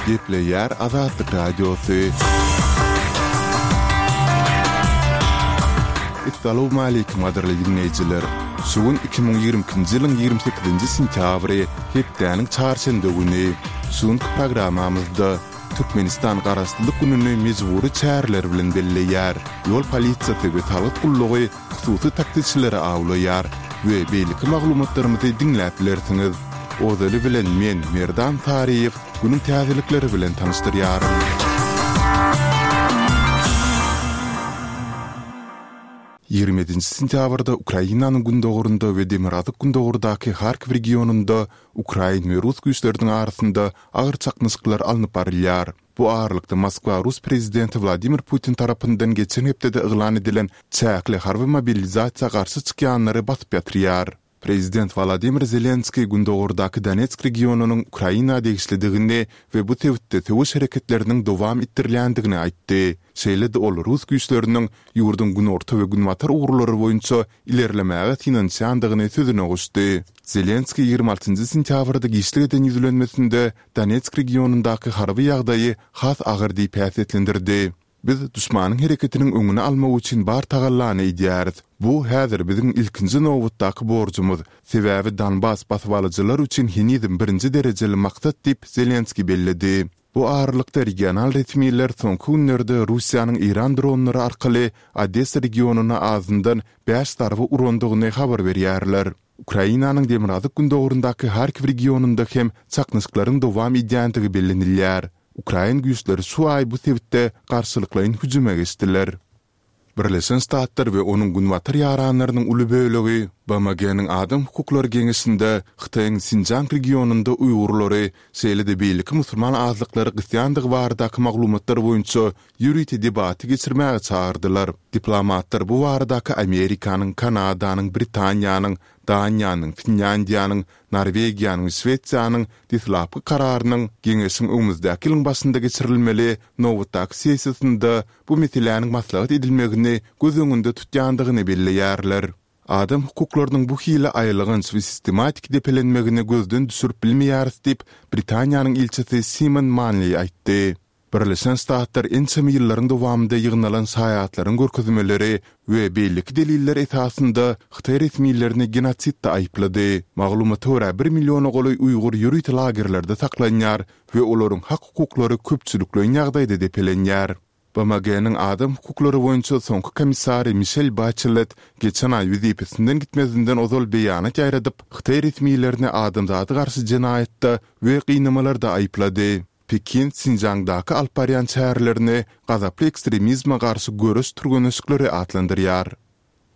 Gepleýär Azatlyk Radiosy. Essalawmaleýkim gadyrly diňleýjiler! Şu gün 2022-nji ýylyň 28-nji sentýabry, hepdäniň çarşenbe güni. Şu günki programmamyzda Türkmenistan Garaşsyzlyk gününi mejbury çäreler bilen belleýär. Ýol polisiýasy we salgyt gullugy hususy taksiçileri awlaýar we beýleki maglumatlarymyzy diňläp bilersiňiz. Ozaly bilen men, Merdan Saryýew, günüň täzelikleri bilen tanyşdyrýaryn. 27-nji sentýabrda Ukrainanyň gündogarynda we demirgazyk-gündogardaky Harkiw regionynda ukrain we rus güýçleriniň arasynda agyr çaknyşyklar alnyp barylýar. Bu aralykda Moskwa rus prezidenti Wladimir Putin tarapyndan geçen hepdede yglan edilen çäkli harby mobilizasiýa garşy çykýanlary basyp ýatyrýar. Prezident Wolodymyr Zelenskiý gündogardaky Donetsk regionynyň Ukraina degişlidigini we bu sebitde söweş hereketleriniň dowam etdirilýändigini aýtdy. Şeýle-de ol rus güýçleriniň ýurduň günorta we günbatar ugurlary boýunça ilerlemäge synanyşýandygyny sözüne goşdy. Zelenskiý 26 sentýabrda giçlik eden ýüzlenmesinde Donetsk regionyndaky harby ýagdaýy has agyr diýip häsiýetlendirdi. Biz duşmanyň hereketiniň öňüni almak üçin bar tagallany edýäris. Bu häzir biziň ilkinji nobatdaky borjumyz, sebäbi Donbas basybalyjylar üçin henizem birinji derejeli maksat diýip, Zelenskiý belledi. Bu aralykda regional resmiler soňky günlerde Russiýanyň Eýran dronlary arkaly Odessa regionyna azyndan bäş zarba urandygyny habar berýärler. Ukrainanyň demirgazyk-gündogaryndaky Harkiw regionynda hem çaknyşyklaryň dowam edýändigi bellenilýär. Ukrain güýçleri şu aý bu sebitde garşylyklaýyn hüjüme geçdiler. Birleşen Ştatlar we onuň günbatar ýaranlarynyň uly bölegi BMG-niň Adam hukuklary geňeşinde Hytaýyň Sinjiang regionynda uýgurlary, şeýle-de beýleki musulman azlyklary gysýandygy baradaky maglumatlar boýunça ýörite debaty geçirmäge çagyrdylar. Diplomatlar bu baradaky Amerikanyň, Kanadanyň, Britaniýanyň, Daniýanyň, Finlýandiýanyň, Norwegiýanyň we Şwesiýanyň deslapky kararynyň Geňeşiň öňümizdäki ýylyň başynda geçirilmeli nobatdaky sessiýasynda bu meseläniň maslahat edilmegini göz öňünde tutýandygyny belleýärler. Adam hukuklarynyň bu hili aýylganç we sistematik depelenmegini gözden düşürip bilmeýäris diýip, Britaniýanyň ilçisi Simon Manleý aýtdy. Birleşen Ştatlar ençeme ýyllaryň dowamynda ýygnalan şaýatlaryň görkezmeleri we beýleki deliller esasynda hytaý resmilerini genosidde aýyplady. Maglumata görä, bir milliona golaý uýgur ýörite lagerlerde saklanýar we olaryň hak-hukuklary köpçülikleýin ýagdaýda depelenýär. BMG-niň adam hukuklary boýunça soňky komissary Mişel Baçelet geçen aý wezipesinden gitmezinden ozal beýanat ýaýradyp, hytaý resmilerini adamzada garşy jenaýatda we gynamalarda aýyplady. Pekin Sinjiangdaky alyp barýan çärelerini gazaply ekstremizme garşy göreş türgenleşikleri atlandyrýar.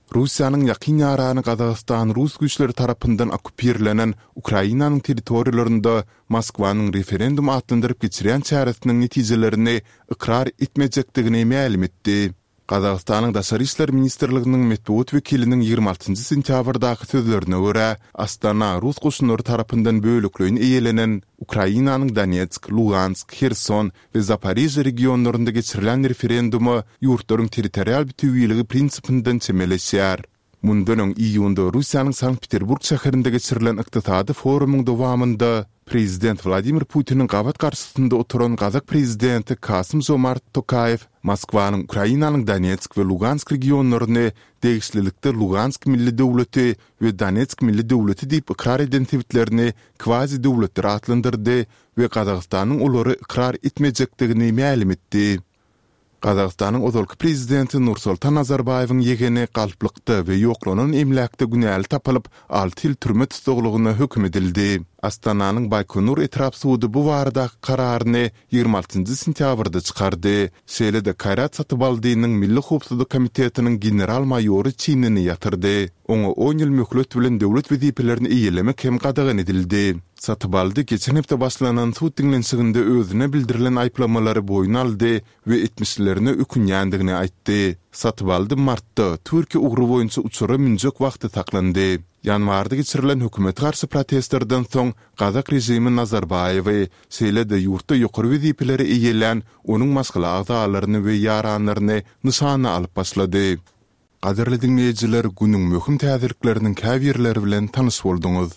Russiýanyň ýakyn ýarany Gazagystan rus güýçleri tarapyndan okkupirlenen Ukrainanyň territoriýalarynda Moskwanyň referendum atlandyryp geçirýän çäresiniň netijelerini ykrar etmejekdigini mälim etdi. Gazagystanyň Daşary işler ministrliginiň metbugat wekiliniň 26 sentýabrdaky sözlerine görä, Astana rus goşunlary tarapyndan bölekleýin eýelenen Ukrainanyň Donetsk, Lugansk, Herson we Zaporižýe regionlarynda geçirilen referenduma ýurtlaryň territorial bütewiligi prinsipinden çemeleşýär. Mundan öň iýunda Russiýanyň Sankt-Peterburg şäherinde geçirilen ykdysady forumyň dowamynda prezident Wladimir Putiniň gabat garşysynda oturan gazak prezidenti Kasym-Žomart Tokaýew Moskwanyň Ukrainanyň Donetsk we Lugansk regionlaryny degişlilikde Lugansk milli döwleti we Donetsk milli döwleti diýip ykrar eden sebitlerini kwazi-döwletler atlandyrdy we Gazagystanyň olary ykrar etmejekdigini mälim etdi. Gazagystanyň ozalky prezidenti Nursultan Nazarbaýewiň ýegeni galplykda we ýoklanan emläkde günäli tapylyp, alty ýyl türme tussaglygyna höküm edildi. Astananyň Baýkonur etrap sudy bu baradaky kararyny 26 sentýabrda çykardy. Şeýle-de Kaýrat Satybaldynyň Milli howpsuzlyk komitetiniň general-maýory çinini ýatyrdy. Oňa on ýyl möhlet bilen döwlet wezipelerini eýelemek hem gadagan edildi. Satybaldy geçen hepde başlanan sud diňlenişiginde özüne bildirilen aýyplamalary boýun aldy we etmişlerine ökünýändigini aýtdy. Satybaldy martda Türkiýe ugry boýunça uçara münjek wagty saklandy. Ýanwarda geçirilen hökümete garşy protestlerden soň gazak režimi Nazarbaýewi, şeýle-de ýurtda ýokary wezipeleri eýelän onuň maşgala agzalaryny we ýaranlaryny nyşana alyp başlady. Gadyrly diňleýjiler, günüň möhüm täzelikleriniň käbirleri bilen tanyş bolduňyz.